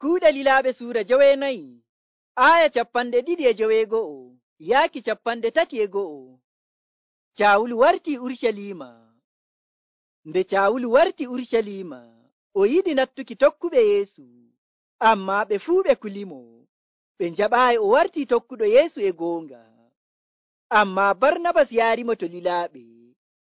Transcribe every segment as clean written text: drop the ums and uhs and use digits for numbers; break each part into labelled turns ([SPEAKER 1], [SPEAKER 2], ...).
[SPEAKER 1] Kuuɗe Lilaaɓe Suura 9 aya 2:9 yaaki 3:1. Caawulu wartii Urucaliima. Nde Caawulu warti Urucaliima, o yiɗi nattuki tokkuɓe Yeesu, ammaa ɓe fuu ɓe kulimo. Ɓe njaɓaayi o wartii tokkuɗo Yeesu e goonga. Ammaa Barnabas yaarimo to lilaaɓe,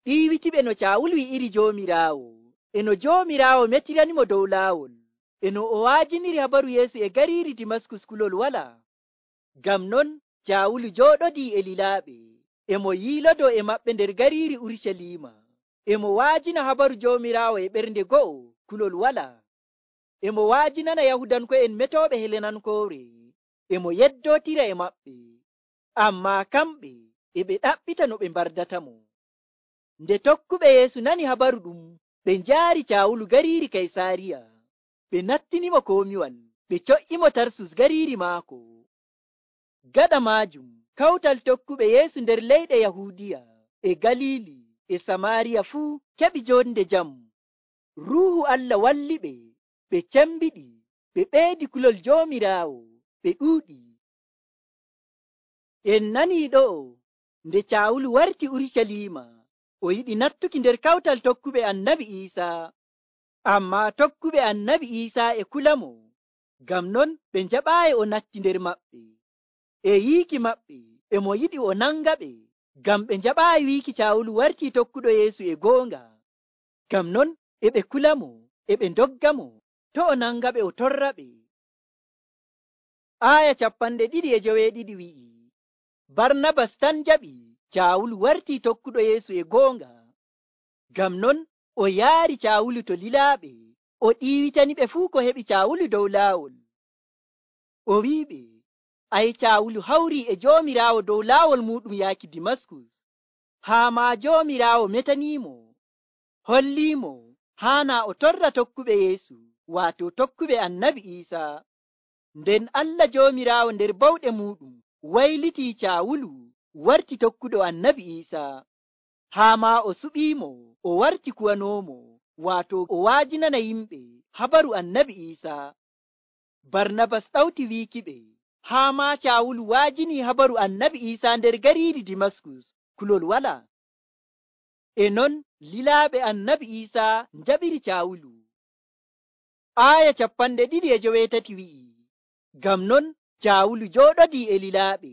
[SPEAKER 1] ɗiiwitiɓe no Caawulu wi'iri Joomiraawo, e no Joomiraawo metiranimo dow laawol, e no o waajiniri habaru Yeesu e gariiri Dimaskus kulol walaa. Ngam non Caawulu jooɗodii e lilaaɓe, e mo yiilodo e maɓɓe nder gariiri Urucaliima, e mo waajina habaru Joomiraawo e ɓernde go'o kulol walaa. E mo waajinana Yahudanko'en metooɓe Helenankoore, e mo yeddootira e maɓɓe. Ammaa kamɓe e ɓe ɗaɓɓita no ɓe mbardatamo. Nde tokkuɓe Yeesu nani habaru ɗum, ɓe njaari Caawulu gariiri Kaysaariya. Ɓe nattinimo komiwal, ɓe co'imo Tarsus gariiri maako. Gaɗa maajum, kawtal tokkuɓe Yeesu nder leyɗe Yahuudiya, e Galiili, e Samaariya fuu keɓi jonde jam. Ruuhu Allah walliɓe, ɓe cembiɗi, ɓe ɓeydi kulol Joomiraawo, ɓe ɗuuɗi. En nanii ɗo'o, nde Caawulu warti Urucaliima, o yiɗi nattuki nder kawtal tokkuɓe Annabi Iisaa. Ammaa tokkuɓe Annabi Iisaa e kulamo, ngam non ɓe njaɓaayi o natti nder maɓɓe. E yiiki maɓɓe, e mo yiɗi o nangaɓe, ngam ɓe njaɓaayi wiiki Caawulu wartii tokkuɗo Yeesu e goonga. Ngam non e ɓe kulamo, e ɓe ndoggamo, to o nangaɓe o torraɓe. Aya 2:9 wi'i, Barnabas tan jaɓi Caawulu wartii tokkuɗo Yeesu e goonga. Ngam non o yaari Caawulu to lilaaɓe, o ɗiiwitaniɓe fuu ko heɓi Caawulu dow laawol. O wi'iɓe, ay Caawulu hawrii e Joomiraawo dow laawol muɗum yaaki Dimaskus, haa maa Joomiraawo metaniimo, holliimo haanaa o torra tokkuɓe Yeesu, waato tokkuɓe Annabi Iisaa. Nden Allah Joomiraawo nder bawɗe muɗum waylitii Caawulu warti tokkuɗo Annabi Iisaa, haa maa o suɓiimo o warti kuwanoomo, waato o waajinana yimɓe habaru Annabi Iisaa. Barnabas ɗawti wiikiɓe, haa maa Caawulu waajinii habaru Annabi Iisaa nder gariiri Dimaskus kulol walaa. E non lilaaɓe Annabi Iisaa njaɓiri Caawulu. Aya 2:8 wi'i, ngam non Caawulu jooɗodii e lilaaɓe,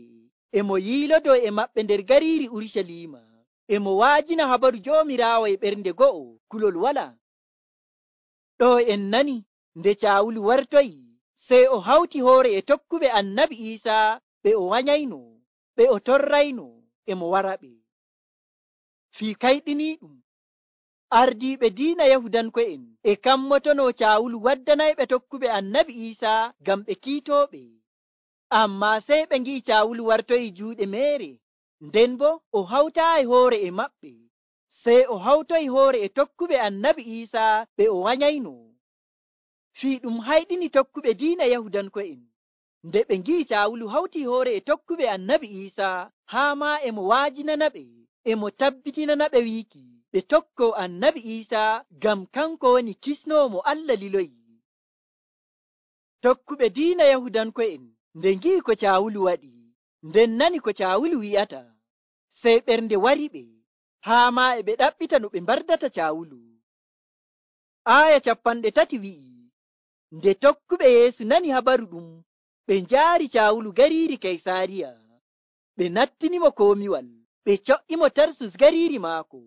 [SPEAKER 1] e mo yiilodo e maɓɓe nder gariiri Urucaliima, e mo waajina habaru Joomiraawo e ɓernde go'o kulol walaa. Ɗo en nani nde Caawulu wartoyi, sey o hawti hoore e tokkuɓe Annabi Iisaa, ɓe o wanyayno, ɓe o torrayno, e mo waraɓe. Fii kayɗiniiɗum, ardiiɓe diina Yahudanko'en e kammotono Caawulu waddanayɓe tokkuɓe Annabi Iisaa ngam ɓe kiitooɓe. Ammaa sey ɓe ngi'i Caawulu wartoyi juuɗe meere, nden bo o hawtaayi hoore e maɓɓe, sey o hawtoyi hoore e tokkuɓe Annabi Iisaa, ɓe o wanyayno. Fii ɗum hayɗini tokkuɓe diina Yahudanko'en, nde ɓe ngi'i Caawulu hawtii hoore e tokkuɓe Annabi Iisaa, haa maa e mo waajinanaɓe, e mo tabbitinanaɓe wiiki ɓe tokkoo Annabi Iisaa, ngam kanko woni kisnoowo mo Allah liloyi. Tokkuɓe diina Yahudanko'en nde ngi'i ko Caawulu waɗi, nden nani ko Caawulu wi'ata, sey ɓernde wariɓe, haa maa e ɓe ɗaɓɓita no ɓe mbardata Caawulu. Aya 3 wi'i, nde tokkuɓe Yeesu nani habaru ɗum, ɓe njaari Caawulu gariiri Kaysaariya. Ɓe nattinimo komiwal, ɓe co'imo Tarsus gariiri maako.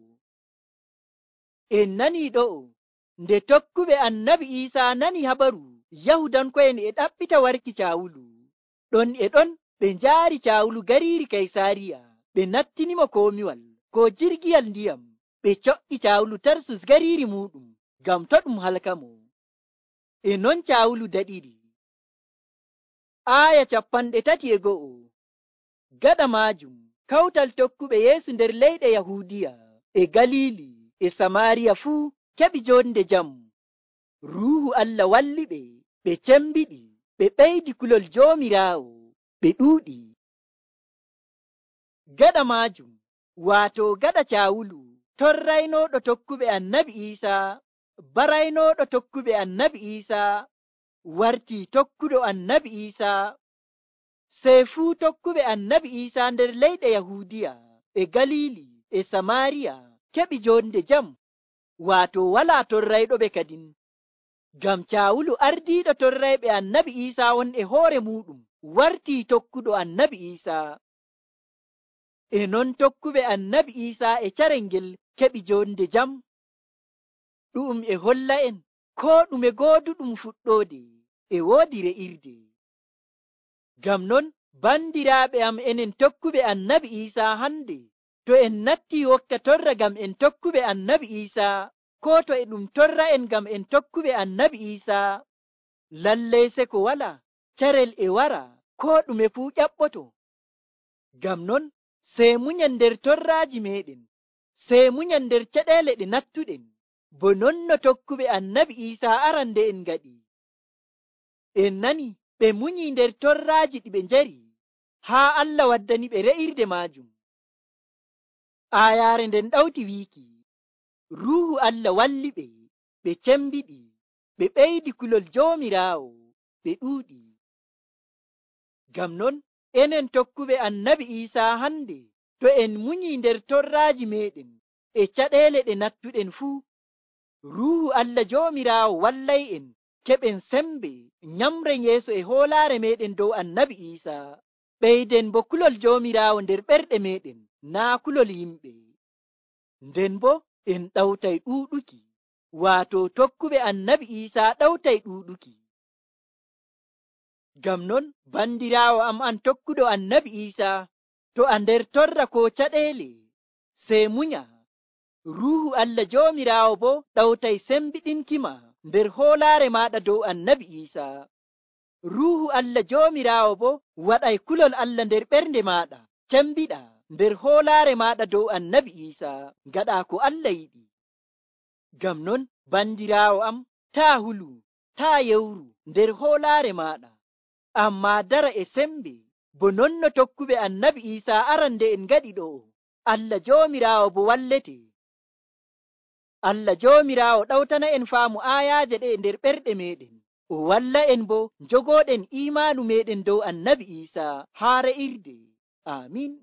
[SPEAKER 1] En nanii ɗo'o, nde tokkuɓe Annabi Iisaa nani habaru Yahudanko'en e ɗaɓɓita warki Caawulu, ɗon e ɗon ɓe njaari Caawulu gariiri Kaysaariya, ɓe nattinimo komiwal ko jirgiyal ndiyam, ɓe co'i Caawulu Tarsus gariiri muɗum, ngam to ɗum halkamo. E non Caawulu daɗiri. Aya 3:1. Gaɗa maajum, kawtal tokkuɓe Yeesu nder leyɗe Yahuudiya, e Galiili, e Samaariya fuu keɓi jonde jam. Ruuhu Allah walliɓe, ɓe cembiɗi, ɓe ɓeydi kulol Joomiraawo, ɓe ɗuuɗi. Gaɗa maajum, waato gaɗa Caawulu torraynooɗo tokkuɓe Annabi Iisaa, baraynooɗo tokkuɓe Annabi Iisaa, wartii tokkuɗo annabi Iisaa. Sey fuu tokkuɓe annabi Iisaa nder leyɗe Yahuudiya e Galiili e Samaariya keɓi jonde jam, waato walaa torrayɗoɓe kadin. Ngam Caawulu ardiiɗo torrayɓe annabi Iisaa won e hoore muuɗum wartii tokkuɗo annabi Iisaa. E non tokkuɓe annabi Iisaa e carel ngel keɓi jonde jam. Ɗu'um e holla en koo ɗume gooduɗum fuɗɗoode e woodi re'irde. Ngam non bandiraaɓe am, enen tokkuɓe annabi Iisaa hande, to en nattii wokka torra ngam en tokkuɓe annabi Iisaa, koo to e ɗum torra en ngam en tokkuɓe annabi Iisaa, lallay seko walaa carel e wara koo ɗume fuu ƴaɓɓoto. Ngam non sey munyen nder torraaji meeɗen, sey munyen nder caɗeele ɗe nattuɗen, bo non no tokkuɓe annabi Iisaa arande'en ngaɗi. En nani ɓe munyii nder torraaji ɗi ɓe njari haa Allah waddani ɓe re'irde maajum. Aayaare nden ɗawti wiiki, Ruuhu Allah walli ɓe, ɓe cembiɗi, ɓe ɓeydi kulol Joomiraawo, ɓe ɗuuɗi. Ngam non enen tokkuɓe annabi Iisaa hande, to en munyii nder torraaji meeɗen e caɗeele ɗe nattuɗen fuu, Ruuhu Allah Joomiraawo wallay en keɓen sembe nyamren yeeso e hoolaare meeɗen dow annabi Iisaa. Ɓeyden bo kulol Joomiraawo nder ɓerɗe meeɗen, naa kulol yimɓe. Nden bo en ɗawtay ɗuuɗuki, waato tokkuɓe annabi Iisaa ɗawtay ɗuuɗuki. Ngam non bandiraawo am an tokkuɗo annabi Iisaa, to a nder torra koo caɗeele, sey munya. Ruuhu Allah Joomiraawo bo ɗawtay sembiɗinkima nder hoolaare maaɗa dow annabi Iisaa. Ruuhu Allah Joomiraawo bo waɗay kulol Allah nder ɓernde maaɗa cembiɗa nder hoolaare maaɗa dow annabi Iisaa, ngaɗaa ko Allah yiɗi. Ngam non bandiraawo am, taa hulu, taa yewru nder hoolaare maaɗa, ammaa dara e sembe, bo non no tokkuɓe annabi Iisaa arande'en ngaɗi ɗo. Allah Joomiraawo bo wallete. Allah Joomiraawo ɗawtana en faamu aayaaje ɗe nder ɓerɗe meeɗen, o walla en bo njogooɗen iimaanu meeɗen dow annabi Iisaa haa re'irde. Amiin.